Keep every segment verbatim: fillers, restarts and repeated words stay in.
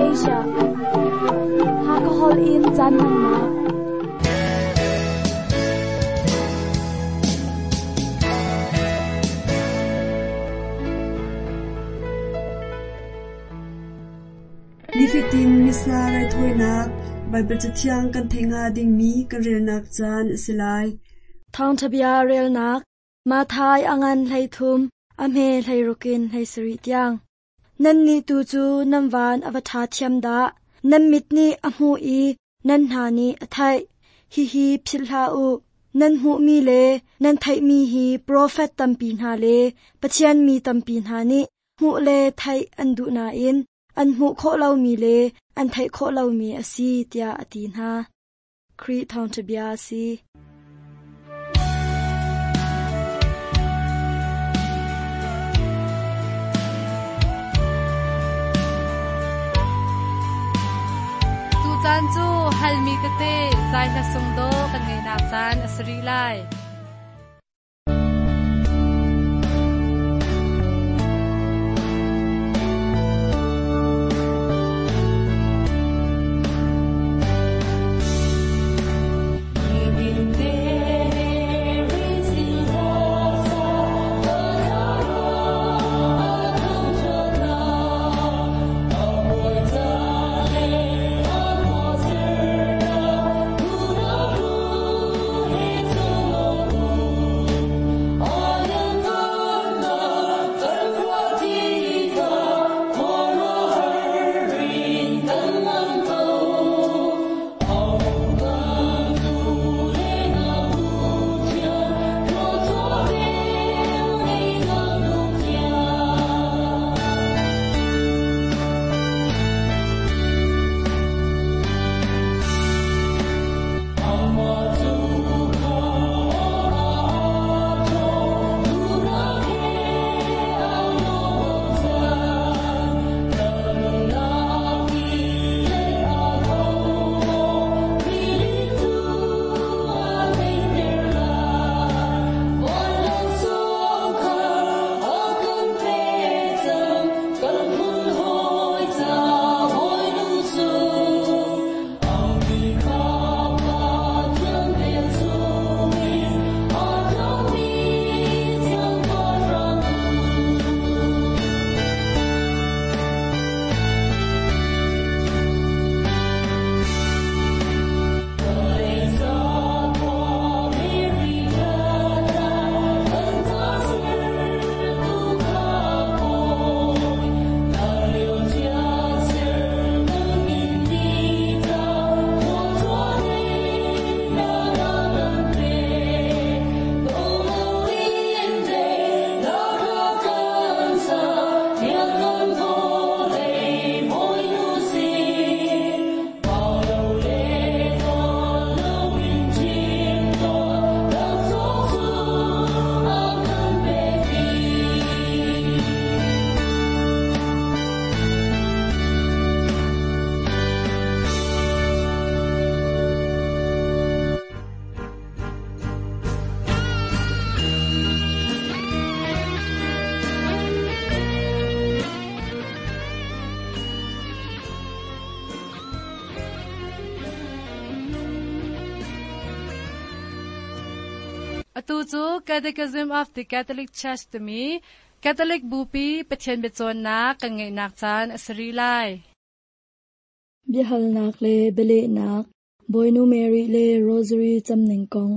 Asia. Hakahol in caan hmannak. Nifatin Missa raithawinak Baibal Cathiang kan theih hnga dingmi kan relnak caan a si lai. Thawngṭha bia relnak Matthai a ngan hleithum a hme hleirukin hleisarih tiang. Nannih tu cu nan van a va ṭha thiam dah. Nan mit nih a hmuh i nan hna nih a theih. Hihi philh hlah u. Nan hmuhmi le nan theihmi hi profet tampi hna le Pathian mi tampi hna nih hmuh le theih an duh nain an hmuh khawh lomi le an theih khawh lomi a si tiah a ti hna. Khrih thawngṭha bia a si. Tucaan cu halmi tete zai hla sung do kan ngeinak caan a si rih lai. Atu cu Catechism of the Catholic Church timi Catholic Bupi Pathian biacawnnak kan ngeihnak caan a si rih lai. Biahalnak le bialehnak Bawinu Mary le Rosary camning kong.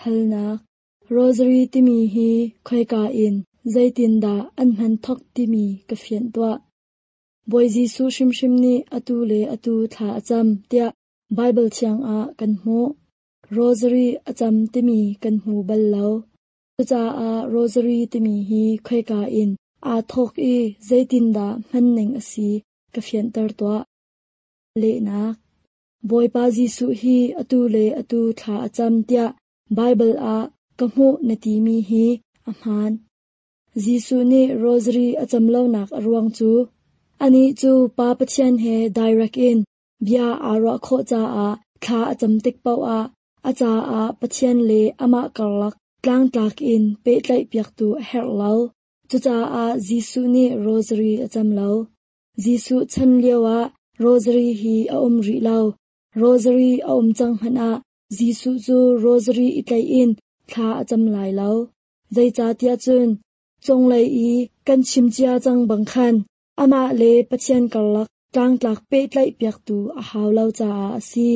Halnak Rosary timi hi khoika in zeitindah an hman thok timi ka fianh tuah. Bawi Jesuh hrimhrim nih atu le atu thla a cam tiah Baibal thiang ah kan hmuh. Rosary a cam timi kan hmu bal lo. Cucaah Rosary timi hi khoika in aa thawk i zeitindah hmanning a si ka fianter tuah. Lehnak Bawipa Jesuh hi atu le atu thla a cam tiah Baibal ah ka hmuh na timi hi a hmaan. Jesuh nih Rosary a cam lonak a ruang cu anih cu Pa Pathian he direct in bia aa ruah khawh caah thla a cam tik paoh ah a caah Pathian le amah karlak tlangtlak in pehtlaih piaktu a herh lo. Cucaah Jesuh nih Rosary a cam lo. Jesuh chan lio ah Rosary hi a um rih lo. Rosary a um cang hmanh ah Jesuh cu Rosary i tlaih in thla a cam lai lo. Zeicahtiah cun cunglei i kan chim cia cang bang khan amah le Pathian karlak tlangtlak pehtlaih piaktu a hau lo caah a si.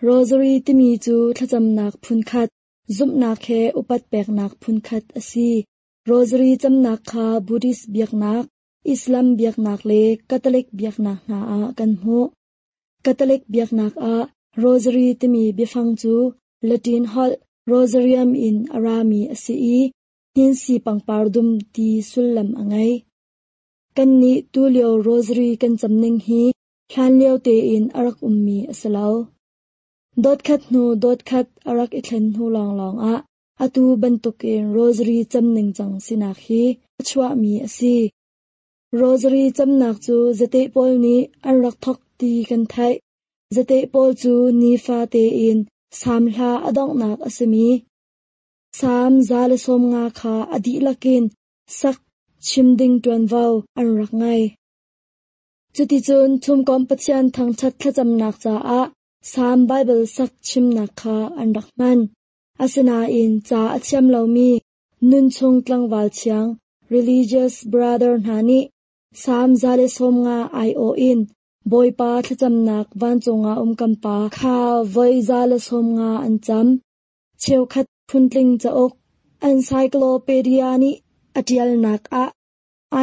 Rosary timi cu thlacamnak phunkhat, zumhnak he upat peknak phunkhat a si. Rosary camnak kha Buddhist biaknak, Islam biaknak le Catholic biaknak hna ah kan hmuh. Catholic biaknak ah Rosary timi biafang cu Latin holh Rosarium in a rami a si i hninsi pangpar dum ti sullam a ngei. Kannih tulio Rosary kan camning hi hlanlio tein a rak ummi a si lo. Dot khat hnu dot khat a rak i thlen hnu lawnglawng ah atu bantukin Rosary cam ningcang sinak hi a chuahmi a si. Rosary camnak cu zate pawl nih an rak thok ti kan theih. Zate pawl cu nifa tein Salm hla a donghnak a simi Salm za le sawm nga kha a dihlak in sak chim ding ṭuanvo an rak ngei. Cuticun thumkomh Pathian thangṭhat thlacamnak caah Salm Baibal sak chimnak kha an rak hman. Asinain ca a thiam lomi nunchung tlangval thiang religious brother hna nih Salm za le sawm nga aiawh in Bawipa thlacamnak vancung ah um kan Pa kha voi za le sawm nga an cam. Cheukhat phuntling cauk Encyclopedia nih a ṭialnak ah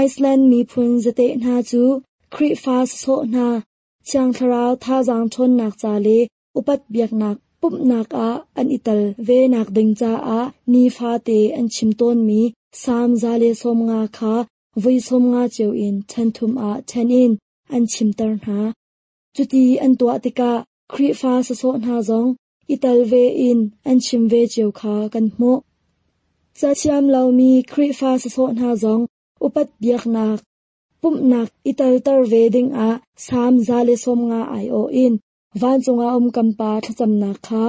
Iceland miphun zate hna cu Khrihfa sawsawh hna Thiang Thlarau thazaang ṭhawnnak ca le upat biaknak pumhnak ah an i tel ve nak ding caah nifate an chim tawnmi Salm za le sawm nga kha voi sawm nga cio in ṭhen thum ah ṭhen in an chimter hna. Cuti an tuah tikah Khrihfa sawsawh hna zong i tel ve in an chim ve cio kha kan hmuh. Cathiam lomi Khrihfa sawsawh hna zong upat biaknak pumhnak i telter ve dingah Salm za le sawm nga aiawh in vancung ah um kan Pa thlacamnak kha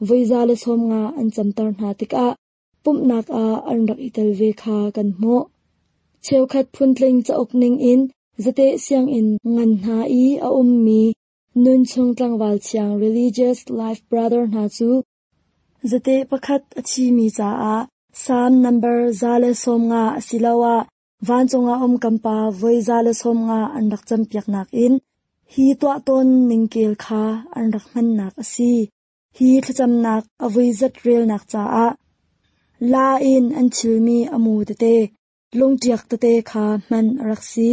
voi za le sawm nga an camter hna tikah pumhnak ah an rak i tel ve kha kan hmuh. Cheukhat phuntling cauk ningin zate sianginn ngan hna i a ummi nunchung tlangval thiang religious life brother hna cu zate pakhat a thimi caah Salm number za le sawm nga asiloah vancung ah um kan Pa voi za le sawm nga an rak campiaknak in hi tuah tawn ningkel kha an rak hmannak a si. Hi thlacamnak a voi zat relnak caah la in an thilmi a mu tete, lungṭiak tete kha hman a rak si.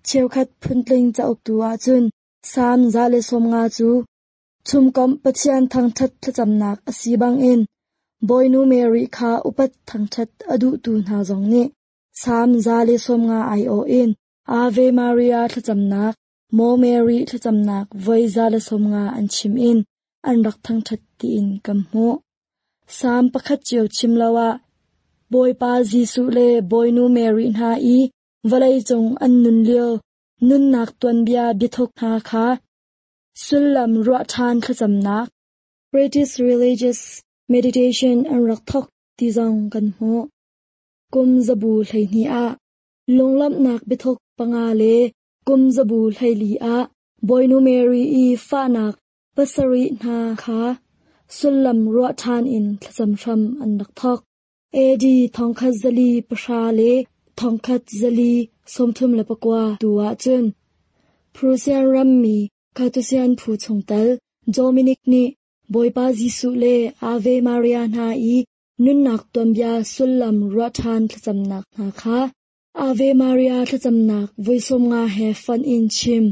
Cheukhat phuntling cauk tu ahcun Salm za le sawm nga cu thumkomh Pathian thangṭhat thlacamnak a si bangin Bawinu Mary kha upat thangṭhat a duhtu hna zong nih Salm za le sawm nga aiawh in Ave Maria thlacamnak, Maw Mary thlacamnak voi za le sawm nga an chim in an rak thangṭhat tiin kan hmuh. Salm pakhat cio chim lo ah Bawipa Jesuh le Bawinu Mary hna i vawleicung an nun lio nunnak tuanbia biathuk hna kha sullam ruah ṭhan thlacamnak British Religious Meditation an rak thok ti zong kan hmuh. Kum zabu hleihnih ah lunglawmhnak biathuk panga le kum zabu hleili ah Bawinu Mary i fahnak pasarih hna kha sullam ruah ṭhan in thlacam hram an rak thok. A D thongkhat zali pahra le thongkhat zali sawmthum le pakua tu ahcun Prussian rammi Carthusian phu chungtel Dominic nih Bawipa Jesuh le Ave Maria hna i nunnak tuanbia sullam ruah ṭhan thlacamnak hna kha Ave Maria thlacamnak voi sawm nga he fonh in chim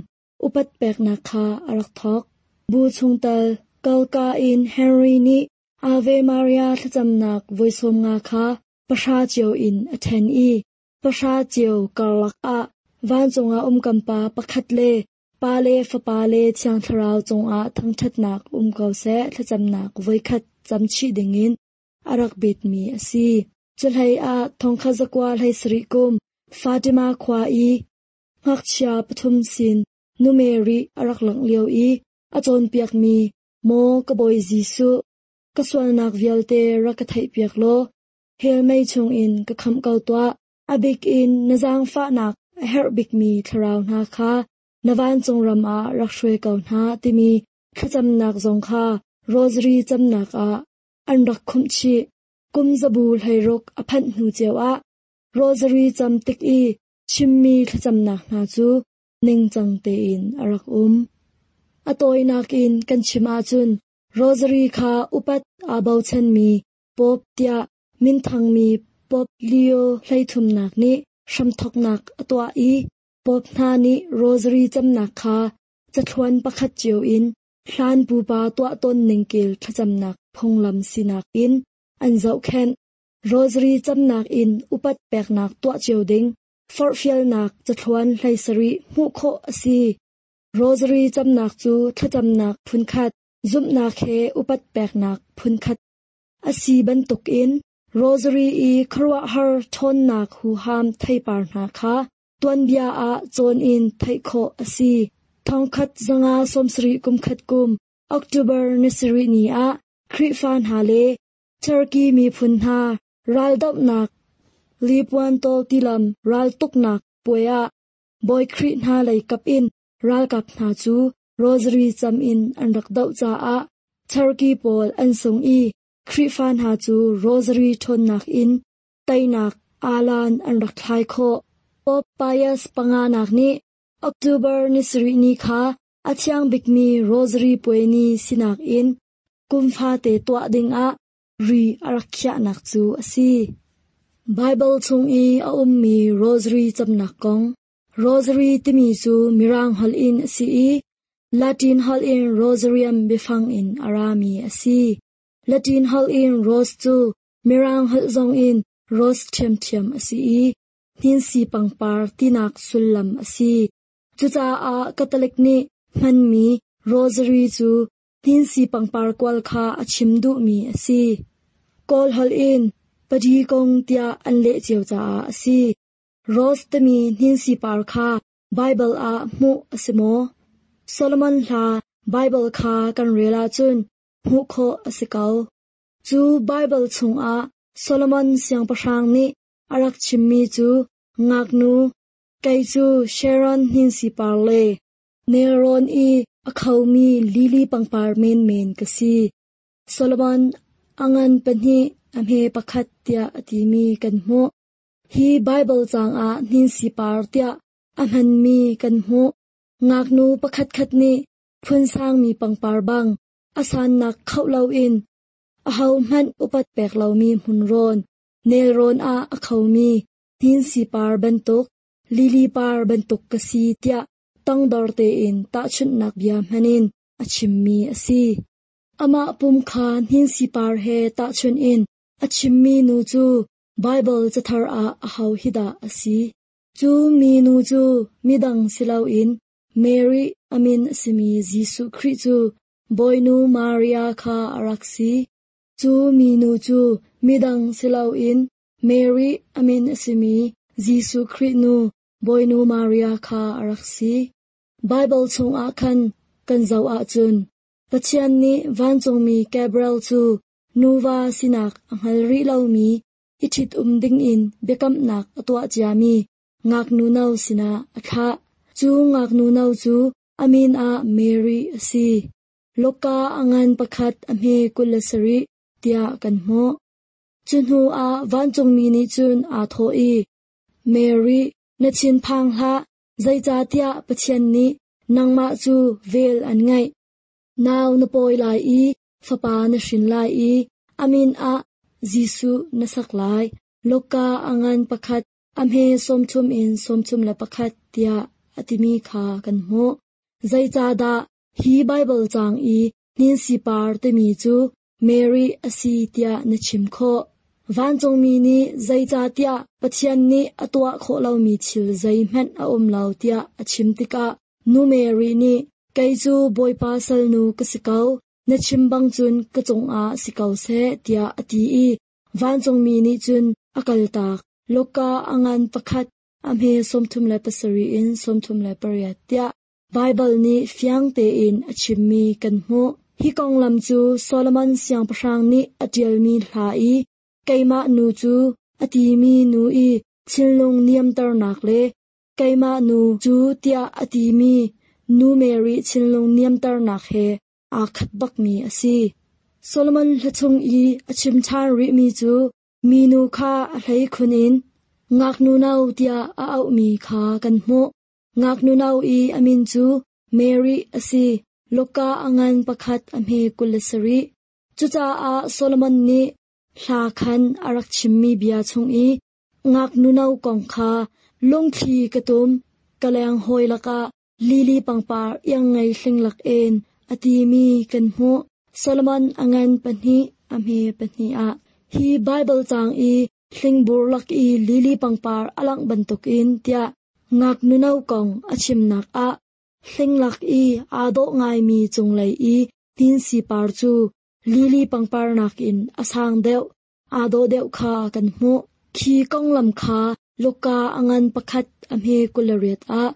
upat peknak kha a rak thok. Bu chungtel Kalka in Henry nih Ave Maria thlacamnak voi sawm nga kha pahra cio in a ṭhen i pahra cio karlak ah vancung ah um kan Pa pakhat le Pa le Fapa le Thiang Thlarau cungah thangṭhatnak um ko seh thlacamnak voikhat camchih dingin a rak betmi a si. Cuhlei ah thongkhat zakua hlei sarih kum Fatima khua i ngakchia pathum sin Nu Mary a rak langh lio i a cawnpiakmi Maw ka Bawi Jesuh, ka sualnak vialte rak ka theihpiak law, hell mei chungin ka khamh ko tuah. A bik in na zaangfahnak a herh bikmi thlarau hna kha na vancung ram ah rak hruai ko hna timi thlacamnak zong kha Rosary camnak ah an rak khumh chih. Kum zabu hleiruk a phanh hnu cio ah Rosary cam tik i chimmi thlacamnak hna cu ningcang tein a rak um. A tawinak in kan chim ahcun Rosary kha upat aa bochanmi Pope tiah minthangmi Pope Leo hleithumnak nih hramthawknak a tuah i Pope hna nih Rosary camnak kha cathluan pakhat cio in hlan pupa tuah tawn ningkel thlacamnak phunglam sinak in an zohkhenh. Rosary camnak in upat peknak tuah cio ding forhfialnak cathluan hlei sarih hmuh khawh a si. Rosary camnak cu thlacamnak phunkhat, zumhnak he upat peknak phunkhat a si bantukin Rosary i khuaruahhar ṭhawnnak huham theipar hna kha tuanbia ah cawn in theih khawh a si. Thongkhat zanga sawmsarih kumkhat kum October ni sarih ni ah Khrihfa hna le Turkey miphun hna raldohnak Lepanto tilam raltuknak puai ah Bawi Khrih hna lei kap in ralkap hna cu Rosary cam in an rak doh caah Turkey pawl an sung i Khrihfa hna cu Rosary ṭhawnnak in teinak alan an rak thlai khawh. Pope Pius panganak nih October ni sarih ni kha a thiang bikmi Rosary puai ni sinak in kum fate tuah dingah ri a rak khiahnak cu a si. Bible chung i a ummi Rosary camnak kong. Rosary timi cu Mirang holh in a si i Latin holh in Rosarium biafang in a rami a si. Latin holh in rose cu Mirang holh zong in rose ṭhiamṭhiam a si i hninsi pangpar tinak sullam a si. Cucaah Catholic nih hmanmi Rosary cu hninsi pangpar kual kha a chim duhmi a si. Kawl holh in padi kong tiah an leh cio caah a si. Rose timi hninsi par kha Bible ah hmuh a si maw? Solomon hla Bible kha kan rel ahcun hmuh khawh a si ko. Cu Bible chungah Solomon siangpahrang nih a rak chimmi cu ngaknu, kei cu Sharon hninsi par le nelrawn i a khomi lily pangpar menmen ka si. Solomon a ngan pahnih a hme pakhat tiah a timi kan hmuh. Hi Bible caang ah hninsi par tiah a hmanmi kan hmuh. Ngaknu pakhatkhat nih phunsangmi pangpar bang a sannak khoh loin ahohmanh upat pek lomi hmunrawn, nelrawn ah a khomi hninsi par bantuk, lily par bantuk ka si tiah tangdor tein tahchunhnak bia hmanin a chimmi a si. Amah pum kha hninsi par he tahchunh in a chimmi nu cu Bible cathar ah aho hi dah a si. Cu mi nu cu midang si loin Mary a min a simi Jesuh Khrih cu Bawinu Maria kha a rak si. Cu mi nu cu midang si loin Mary a min a simi Jesuh Khrih nu Bawinu Maria kha a rak si. Bible chungah khan kan zoh ahcun Pathian nih vancungmi Gabriel cu nuva sinak a hngal rih lomi i ṭhit-um dingin biakamnak a tuah ciami ngaknu no sinah a thlah. Cu ngaknu no cu a min ah Mary a si. Luka a ngan pakhat a hme kul le sarih tiah kan hmuh. Cu hnu ah vancungmi nih cun aa thawh i, Mary, na thinphang hlah, zeicahtiah Pathian nih nangmah cu vel an ngeih. Nau na pawi lai i fapa na hrin lai i a min ah Jesuh na sak lai. Luka a ngan pakhat a hme sawmthum in sawmthum le pakhat tiah a timi kha kan hmuh. Zeicahdah hi Bible caang i hninsi par timi cu Mary a si tiah na chim khawh? Vancungmi nih zeicahtiah Pathian nih a tuah khawh lomi thil zeihmanh a um lo tiah a chim tikah nu Mary nih kei cu Bawipa salnu ka si ko, na chim bang cun ka cungah si ko seh tiah a ti i vancungmi nih cun a kaltak. Luka a ngan pakhat a hme sawmthum le pasarih in sawmthum le pariat tiah Bible nih fiang tein a chimmi kan hmuh. Hi konglam cu Solomon siangpahrang nih a ṭialmi hla i keimah nu cu a timi nu i thinlung niamternak le Keimah nu cu tiah a timi nu Mary thinlung niamternak he aa khat bakmi a si. Solomon hla chung i a chim ṭhan rihmi cu minu kha a hleikhun in ngaknu no tiah a auhmi kha kan hmuh. Ngaknu no i a min cu Mary a si. Luka a ngan pakhat a hme kul le sarih. Cucaah Solomon nih hla khan a rak chimmi bia chung i ngaknu no kong kha lungthli ka tum, ka leng hawi lakah lili pangpar iang ngei hling lak en a timi kan hmuh. Solomon a ngan pahnih a hme pahnih ah hi Bible caang i hlingbur lak i lili pangpar a langh bantukin tiah ngaknu no kong a chimnak ah hling lak i aa dawh ngaimi cunglei i hninsi par cu lili pangpar nakin a sang deuh, aa dawh deuh kha kan hmuh. Khi konglam kha Luka a ngan pakhat a hme kul le riat ah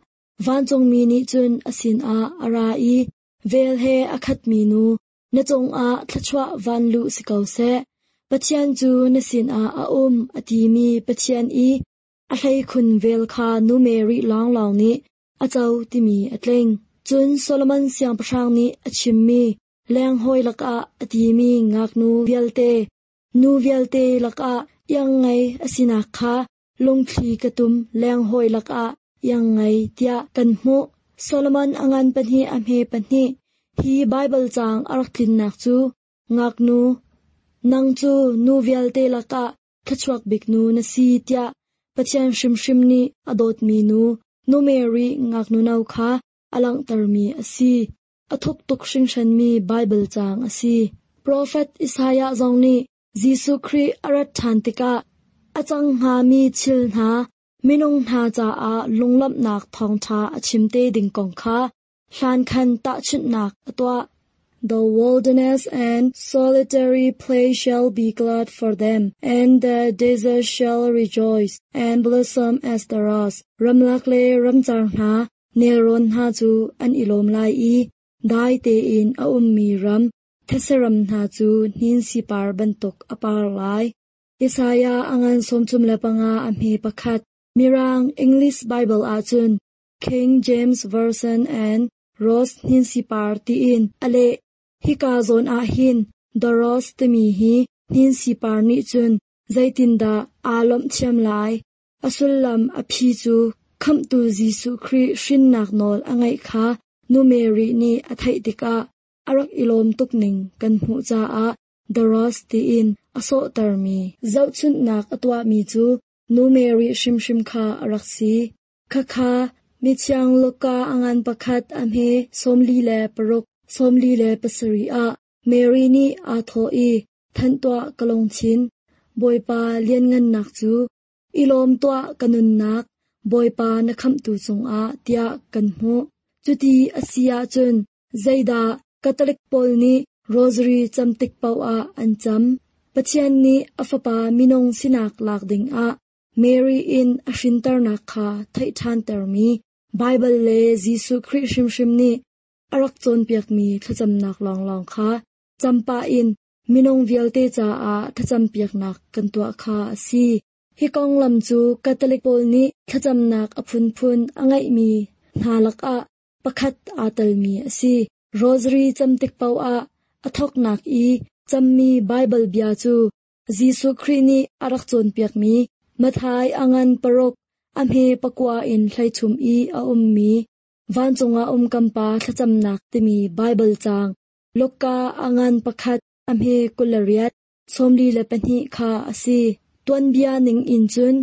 vancungmi nih cun a sinah a ra i vel he a khatmi nu na cungah thluachuah van luh si ko seh. Pathian cu na sinah a um a timi Pathian i a hleikhun vel kha nu Mary lawnglawng nih a co timi a tling. Cun Solomon siangpahrang nih a chimmi lenghawi lakah a timi ngaknu vialte, nu vialte lakah iang ngei a sinak kha lungthli ka tum lenghawi lakah iang ngei tiah kan hmuh. Solomon a ngan pahnih a hme pahnih. Hi Bible caang a rak tlinnak cu ngaknu, nang cu nu vialte lakah thluachuak bik nu na si tiah Pathian hrimhrim nih a dawtmi nu, nu Mary ngaknu no kha a langhtermi a si. A thuk tuk hringhranmi Bible caang a si. Profet Isaiah zong nih Jesuh Khrih a rat ṭhan tikah a cang hngami thil hna minung hna caah lunglawmhnak thawngṭha a chim te ding kong kha hlan khan tahchunhnak a tuah. The wilderness and solitary place shall be glad for them, and the desert shall rejoice and blossom as the rose. Ramlak le ramcar hna, nelrawn hna cu an i lawm lai i dai tein a ummi ram, thetse-ram hna cu hninsi par bantuk a par lai. Isaiah a ngan sawmthum le panga a hme pakhat. Mirang English Bible ahcun King James Version and Rose hninsi par tiin a leh. Hika zawn ah hin the rose timi hi hninsi par nih cun zeitindah aa lawmh thiam lai. A sullam a phi cu khamhtu Jesuh Khrih hrinnak nawl a ngeih kha nu Mary nih a theih tikah a rak i lawm tuk ning kan hmuh caah the rose tiin a sawhtermi zohchunhnak a tuahmi cu nu Mary hrimhrim kha a rak si. Khakha mithiang Luka a ngan pakhat a hme sawmli le paruk sawmli le pasarih ah Mary nih aa thawh i thanh tuah ka lungthin, Bawipa lianngannak cu, i lawm tuah ka nunnak, Bawipa na khamhtu cungah tiah kan hmuh. Cuti a si ahcun zeidah Catholic pawl nih Rosary cam tik paoh ah an cam. Pathian nih a fapa minung sinak lak dingah Mary in a hrinternak kha theih ṭhantermi Bible le Jesuh Khrih hrimhrim nih a rak cawnpiakmi thlacamnak lawnglawng kha campah in minung vialte caah thlacampiaknak kan tuah kha a si. Hi konglam cu Catholic pawl nih thlacamnak a phunphun a ngeihmi hna lakah pakhat aa telmi a si. Rosary cam tik paoh ah a thawknak i cammi Bible bia cu Jesuh Khrih nih a rak cawnpiakmi Matthai a ngan paruk a hme pakua in hleithum i a ummi vancung ah um kan Pa thlacamnak timi Bible caang Luka a ngan pakhat a hme kul le riat sawmli le pahnih kha a si. Tuanbia ning in cun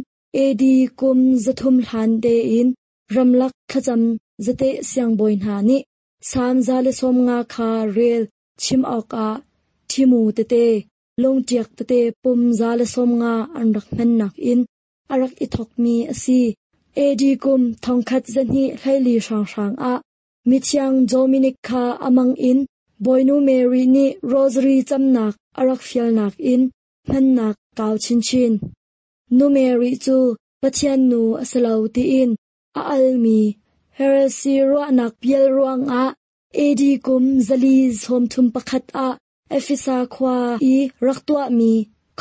A D kum zathum hlan tein ramlak thlacam zate siangbawi hna nih Salm za le sawm nga kha rel chim awkah thimu tete lungṭiak tete pum za le sawm nga an rak hmannak in a rak i thawkmi a si. A D kum thongkhat zahnih hleili hrawnghrang ah mithiang Dominic kha amang in Bawinu Mary nih Rosary camnak a rak fialnak in hmannak kau chinchin. Nu Mary cu Pathian nu a si lo tiin a almi heresy ruahnak pial ruangah A D kum zali sawmthum pakhat ah Ephesa khua i rak tuahmi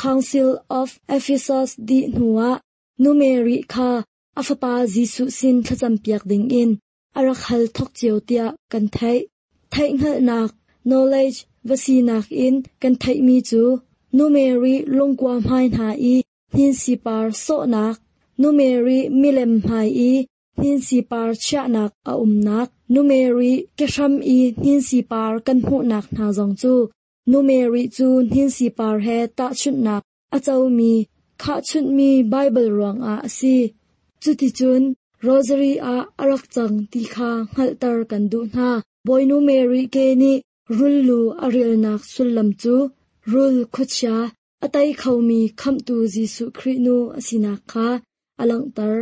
Council of Ephesus dih hnuah Nu Mary kha a fapa Jesuh sin thlacam piak dingin a rak hal thok cio tiah kan theih. Theihhngalhnak knowledge va sinak in kan theihmi cu Nu Mary lungkua hmai hna i hninsipar sawhnak, Nu Mary milem hmai i hninsipar chiahnak a umnak, Nu Mary kehram i hninsipar kan hmuhnak hna zong cu Nu Mary cu hninsipar he tahchunhnak a comi khahchunhmi Baibal ruangah a si. Cuticun Rosary ah a rak cang ti kha hngalhter kan duh hna. Bawinu Mary ke nih rullu a rialnak sullam cu rul khuachia a tei khomi khamhtu Jesuh Khrih nu a sinak kha a langhter.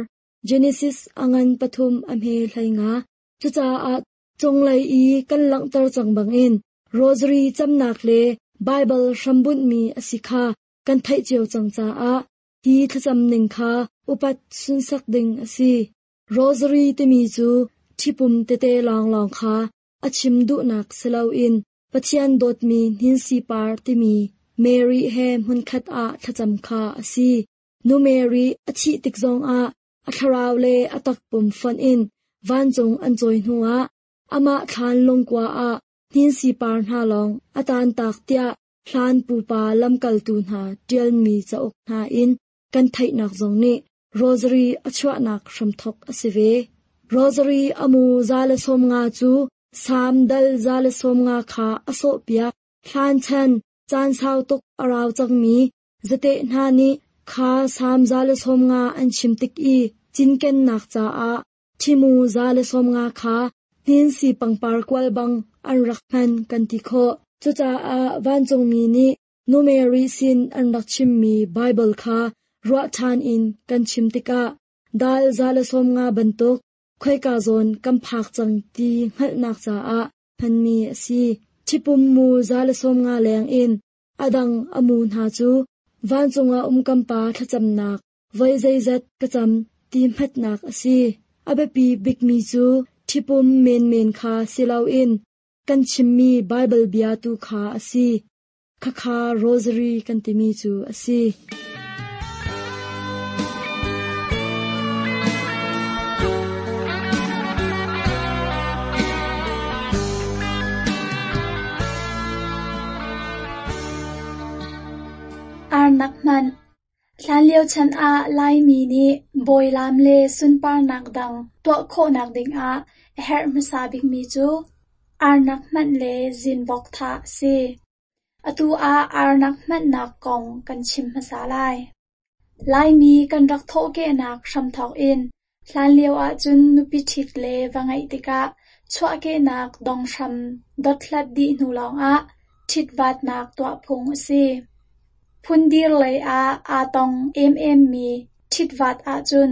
Genesis a ngan pathum a hme hlei nga. Cucaah cunglei i kan langhter cang bangin Rosary camnak le Baibal hrambunhmi a si kha kan theih cio cang caah hi thlacam ning kha upat sunsak ding a si. Rosary timi cu ṭhipum tete lawnglawng kha a chim duhnak si loin Pathian dawtmi hninsipar timi Mary he hmunkhat ah thlacam kha a si. Nu Mary a thih tik zongah a thlarau le a takpum fonh in vancung an cawi hnuah amah thlan lungkua ah hninsipar hna lawng a taantak tiah hlan pupa lamkaltu hna ṭialmi cauk hna in kan theihnak zong nih Rosary a chuahnak hramthok a si ve. Rosary a mu za le sawm nga cu Salm dal za le sawm nga kha a sawhpiak. Hlan chan caan sau tuk a rau cangmi zate hna nih kha Salm za le sawm nga an chim tik i cinkennak caah ṭhimu za le sawm nga kha hninsi pangpar kual bang an rak hman kan ti khawh. Cucaah vancungmi nih Nu Mary sin an rak chimmi Baibal kha ruah ṭhan in kan chim tikah dal za le sawm nga bantuk khoika zawn kan phak cang ti hngalhnak caah hmanmi a si. Ṭhipum mu za le sawm nga leng in a dang a mu hna cu vancung ah um kan pa thlacamnak voi zeizat ka cam ti hmatnak a si. A biapi bikmi cu ṭhipum menmen kha si loin kan chimmi Baibal bia tu kha a si. Khakha Rosary kan timi cu a si. Arnak hmanh. Hlanlio chan ah Laimi nih bawilaam le sunparnak dang tuah khawhnak dingah a herh hmasa bikmi cu arnak hmanh le zinvok thah a si. Atu ah arnak hmanhnak kong kan chim hmasa lai. Laimi kan rak thawhkehnak hramthawk in hlanlio ahcun nupi ṭhit le va ngeih tikah chuahkehnak donghram dothlat dih hnu lawngah ṭhitvatnak tuah phung a si. Phundir lei ah aa tong ememmi ṭhitvat ahcun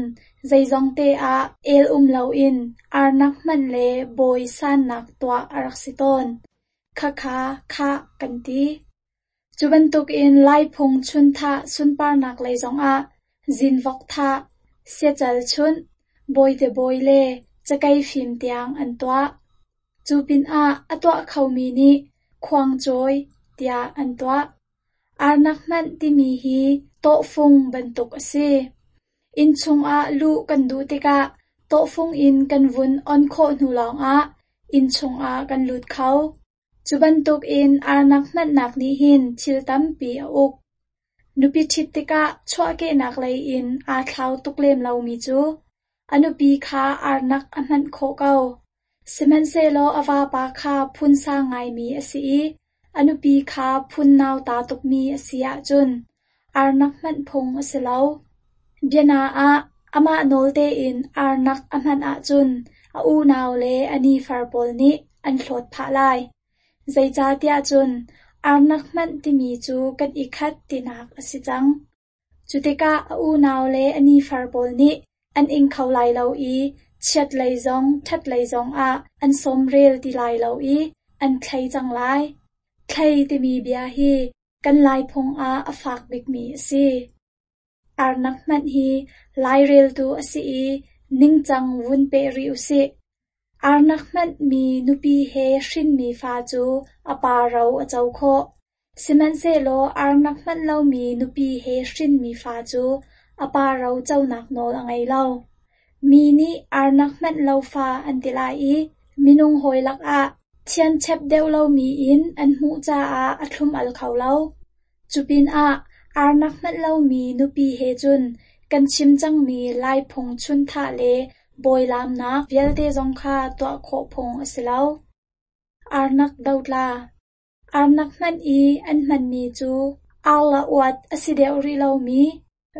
zeizongte ah el um loin arnak hmanh le bawi sannak tuah a rak si tawn. Khakha khah kan ti. Cu bantukin Laiphung chunthah sunparnak lei zongah zinvok thah, siacal chunh, bawite bawi le cakei fim tiang an tuah. Cu pinah a tuah khomi nih khuangcawi tiah an tuah. Arnak hmanh timi hi tawhfung bantuk a si. Inn chungah luh kan duh tikah tawhfung in kan vun on khawh hnu lawngah inn chungah kan lut kho. Cu bantukin arnak hmanhnak nih hin thil tampi a uk. Nupi ṭhit tikah chuahkehnak lei in aa thlau tuk lem lomi cu a nupi kha arnak a hmanh khawh ko. Sihmanhsehlaw a vapa kha phun sang ngaimi a si i a nupi kha phun nauta tukmi a si ahcun arnak hmanh phung a si lo. Biana ah amah nawl tein arnak a hmanh ahcun a unau le a nifar pawl nih an hlawt phah lai. Zeicahtiah cun arnak hmanh timi cu kan i khat tinak a si cang. Cu tikah a unau le a nifar pawl nih an ing kho lai lo i chiat lei zong ṭhat lei zongah an sawmrel ti lai lo i an thlei cang lai. Thlei timi bia hi kan Laiphung ah a fak bikmi a si. Arnak hmanh hi laireltu a si i ningcang vun peh rih usih. Arnak hmanh mi nupi he hrinmi fa cu a pa ro a co khawh. Sihmanhsehlaw arnak hmanh lomi nupi he hrinmi fa cu a pa ro conak nawl a ngei lo. Mi nih arnak hmanh lo fa an ti lai i minung hawi lakah thianchep deuh lomi in an hmuh caah a thlum-al kho lo. Cupinah arnak hmanh lomi nupi he cun kan chim cangmi Laiphung chunthah le bawilaamnak vialte zong kha tuah khawh phung a si lo. Arnak dotla. Arnak hmanh i an hmanmi cu arla uat a si deuh rih lomi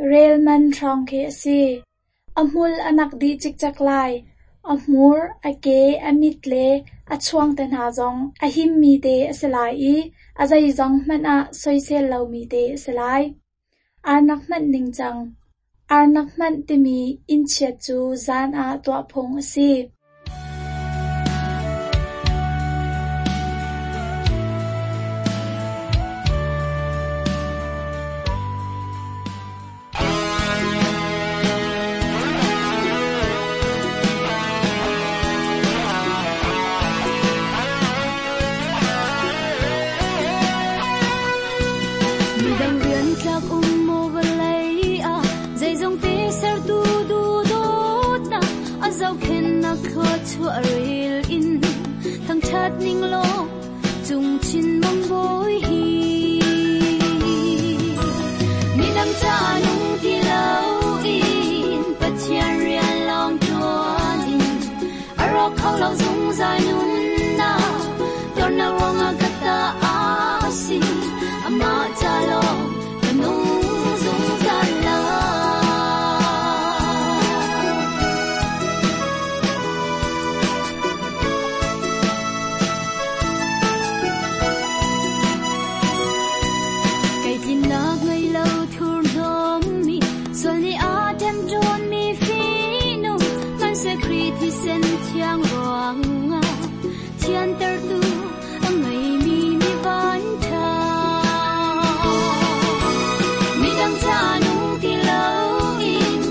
relman hrawng khi a si. A hmul a nak dih cikcek lai. A hmur, a ke, a mit le a chuang te hna zong a himmi te a si lai i a zeizong hmanh ah soisel lomi te a si lai. Arnak hmanh ningcang. Arnak hmanh timi innchiat cu zan ah tuah phung a si. Midang rian tlak um maw vawlei ah zeizong te sertu duhdawtnak a zohkhenhnak thluachuah rel in thangṭhat ning law cung chin mang bawi hi. Midang ca nung ti loin Pathian rian lawng ṭuan in a rawk kho lo zungzal nunnak tuarnak ruangah ka ta a si. Amah ca lawng ka nung zungzal lai. Kei tlinnak ngei lo thurhnawmmi, sual nih a ṭemṭawnmi fihnung, hmanhseh Khrih thisen thiang ruangah thiantertu a ngeimi mi vanṭha. Midang ca nung ti loin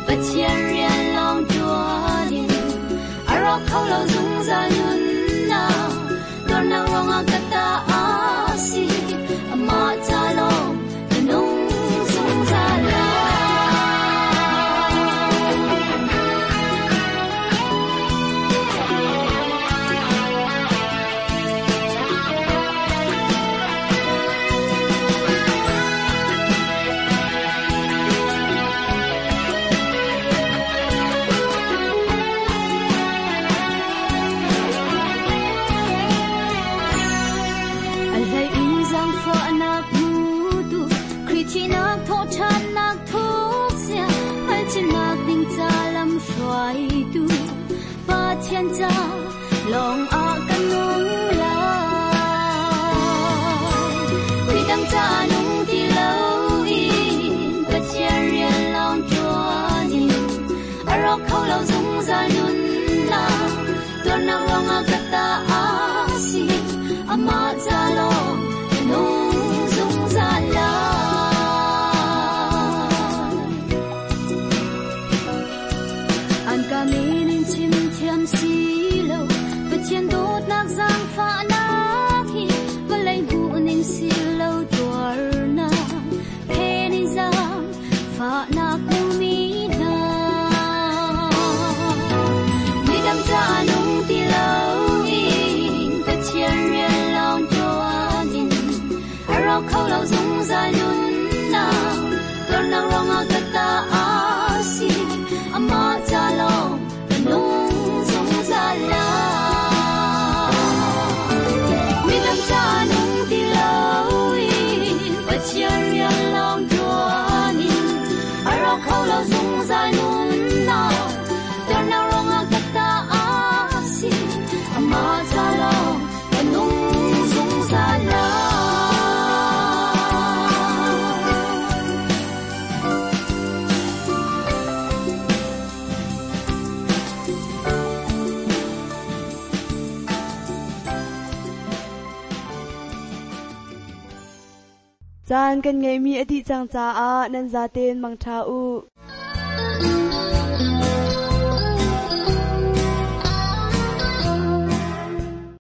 Pathian rian lawng ṭuan in a rawk kho lo zungzal nunnak tuarnak ruangah ka ta a si. Amah ca lawng ka nung zungzal lai. A hlei in zaangfahnak hmutu, Khrih thihnak thawhṭhannak thukzia, hngalhchimnak ding ca lamhruaitu, Pathian ca lawng ah ka nung lai. Midang ca nung ti loin Pathian rian lawng ṭuan in a rawk kho lo zungzal nunnak tuarnak ruangah ka ta a si. Amah ca lawng ka nung zungzal lai. An ka min in chim thiam si lo, Pathian dawtnak zaangfahnak hi vawlei hmuh ning si lo tuarnak phen in zaangfahnak hmumi hna. Midang ca nung ti loin Pathian rian lawng ṭuan in a rawk kho lo zungzal nunnak tuarnak ruangah ka ta a si. Amah ca lawng ka nung zungzal lai. Midang ca nung ti loin Pathian rian lawng ṭuan in a rawk kho lo zungzal nunnak tuarnak ruangah ka ta a si. Amah ca lawng ka nung zungzal lai. Caan kan ngeihmi a dih cang caah nan zaten mangṭha u.